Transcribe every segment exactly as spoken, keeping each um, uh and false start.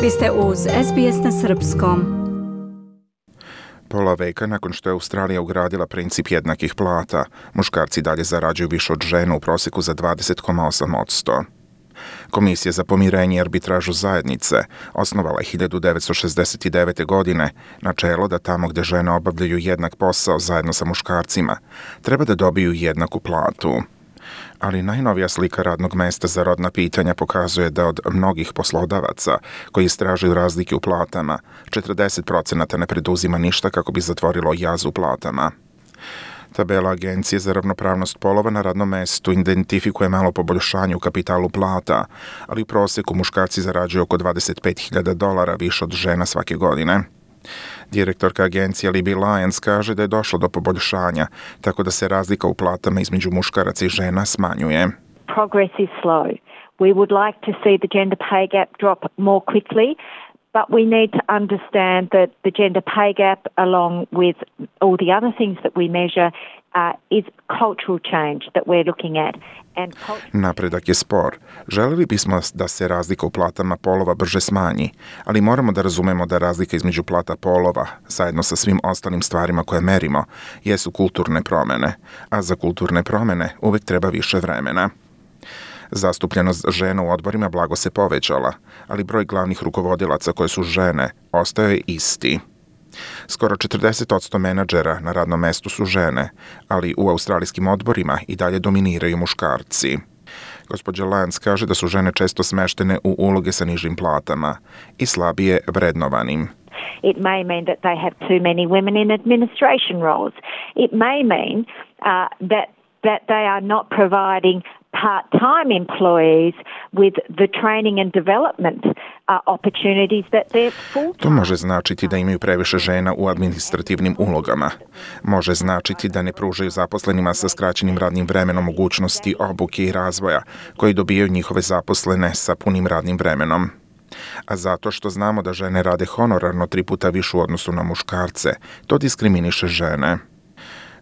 Vi ste uz S B S na srpskom. Pola veka nakon što je Australija ugradila princip jednakih plata, muškarci dalje zarađuju više od žena u prosjeku za dvadeset zarez osam posto. Komisija za pomirenje i arbitražu zajednice osnovala je hiljadu devetsto šezdeset devete. godine načelo da tamo gdje žene obavljaju jednak posao zajedno sa muškarcima, treba da dobiju jednaku platu. Ali najnovija slika radnog mesta za rodna pitanja pokazuje da od mnogih poslodavaca koji istražuju razlike u platama, četrdeset procenata ne preduzima ništa kako bi zatvorilo jaz u platama. Tabela Agencije za ravnopravnost polova na radnom mestu identifikuje malo poboljšanje u kapitalu plata, ali u prosjeku muškarci zarađuju oko dvadeset pet hiljada dolara više od žena svake godine. Direktorka agencije Libby Lyons kaže da je došlo do poboljšanja, tako da se razlika u platama između muškaraca i žena smanjuje. Progress is slow. We would like to see the gender pay gap drop more quickly, but we need to understand that the gender pay gap, along with all the other things that we measure, uh, is cultural change that we're looking at. And culture... Napredak je spor. Želeli bismo da se razlika u platama polova brže smanji, ali moramo da razumemo da razlika između plata polova, zajedno sa svim ostalim stvarima koje merimo, jesu kulturne promene, a za kulturne promene uvek treba više vremena. Zastupljenost žena u odborima blago se povećala, ali broj glavnih rukovodilaca koje su žene ostao je isti. Skoro četrdeset posto menadžera na radnom mestu su žene, ali u australijskim odborima i dalje dominiraju muškarci. Gospođa Lyons kaže da su žene često smeštene u uloge sa nižim platama i slabije vrednovanim. It may mean that they have too many women in administration roles. It may mean uh, that that they are not providing part-time employees with the training and development uh, opportunities that they're full-time. To može značiti da imaju previše žena u administrativnim ulogama. Može značiti da ne pružaju zaposlenima sa skraćenim radnim vremenom mogućnosti obuke i razvoja koji dobijaju njihove zaposlene sa punim radnim vremenom. A zato što znamo da žene rade honorarno tri puta više u odnosu na muškarce, to diskriminiše žene.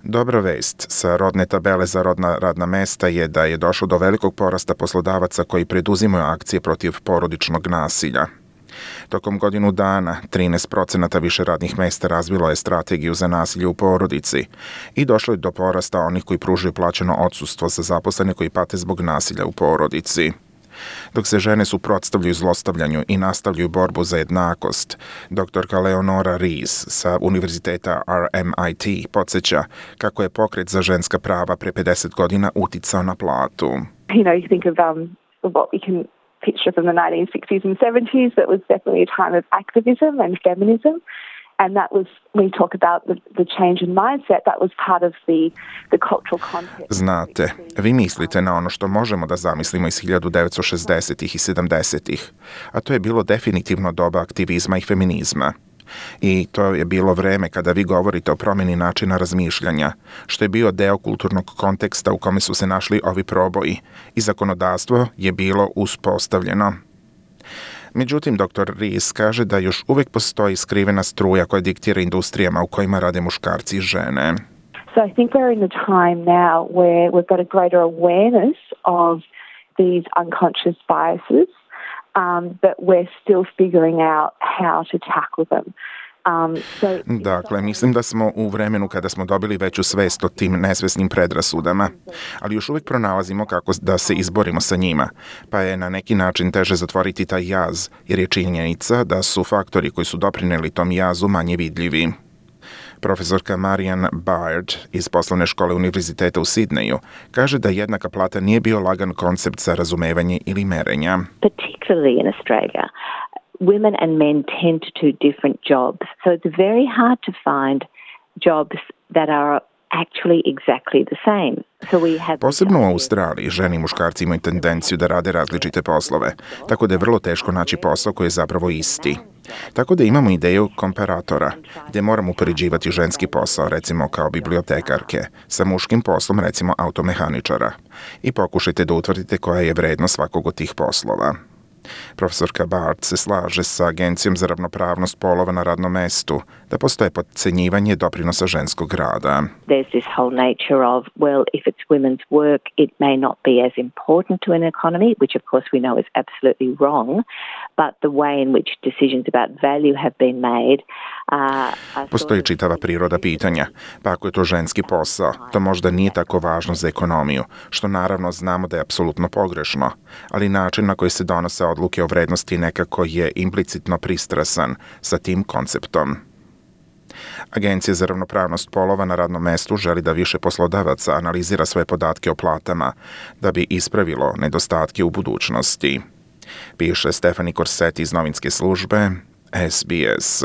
Dobra vest sa rodne tabele za rodna radna mesta je da je došlo do velikog porasta poslodavaca koji preduzimaju akcije protiv porodičnog nasilja. Tokom godinu dana trinaest procenata više radnih mesta razvilo je strategiju za nasilje u porodici i došlo je do porasta onih koji pružaju plaćeno odsustvo za zaposlene koji pate zbog nasilja u porodici. Dok se žene suprotstavljaju zlostavljanju i nastavljaju borbu za jednakost, doktorka Leonora Rees sa Univerziteta R M I T podsjeća kako je pokret za ženska prava pre pedeset godina uticao na platu. You know, you think of um, what we can picture from the nineteen sixties and seventies, that was definitely a time of activism and feminism. And that was, when we talk about the, the change in mindset, that was part of the, the cultural context. Znate, vi mislite na ono što možemo da zamislimo iz hiljadu devetsto šezdesetih i sedamdesetih, a to je bilo definitivno doba aktivizma i feminizma. I to je bilo vreme kada vi govorite o promjeni načina razmišljanja, što je bio deo kulturnog konteksta u kome su se našli ovi proboji i zakonodavstvo je bilo uspostavljeno. Međutim, doktor Rees kaže da još uvijek postoji skrivena struja koja diktira industrijama u kojima rade muškarci i žene. So I think we're in the time now where we've got a greater awareness of these unconscious biases, um, but we're still figuring out how to tackle them. Um, so dakle, mislim da smo u vremenu kada smo dobili veću svest o tim nesvesnim predrasudama, ali još uvijek pronalazimo kako da se izborimo sa njima, pa je na neki način teže zatvoriti taj jaz, jer je činjenica da su faktori koji su doprineli tom jazu manje vidljivi. Profesorka Marian Baird iz poslovne škole Univerziteta u Sidneju kaže da jednaka plata nije bio lagan koncept za razumevanje ili merenja. Particularly in Australia, women and men tend to do different jobs. So it's very hard to find jobs that are actually exactly the same. So we have Posebno u Australiji žene i muškarci imaju tendenciju da rade različite poslove, tako da je vrlo teško naći posao koji je zapravo isti. Tako da imamo ideju komparatora, gdje moramo upoređivati ženski posao, recimo kao bibliotekarke, sa muškim poslom, recimo automehaničara, i pokušajte da utvrdite koja je vrednost svakog od tih poslova. Profesorka Bart se slaže sa Agencijom za ravnopravnost polova na radnom mestu da postoje potcenjivanje doprinosa ženskog rada. There's this whole nature of, well, if it's women's work, it may not be as important to an economy, which of course we know is absolutely wrong, but the way in which decisions about value have been made uh, Postoji čitava priroda pitanja, pa ako je to ženski posao, to možda nije tako važno za ekonomiju, što naravno znamo da je apsolutno pogrešno, ali način na koji se donose odluke o vrednosti nekako je implicitno pristrasan sa tim konceptom. Agencija za ravnopravnost polova na radnom mestu želi da više poslodavaca analizira svoje podatke o platama da bi ispravilo nedostatke u budućnosti. Piše Stefani Korseti iz novinske službe S B S.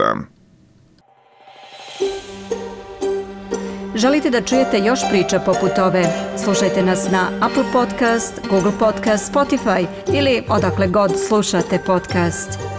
Želite da čujete još priča poput ove? Slušajte nas na Apple Podcast, Google Podcast, Spotify ili odakle god slušate podcast.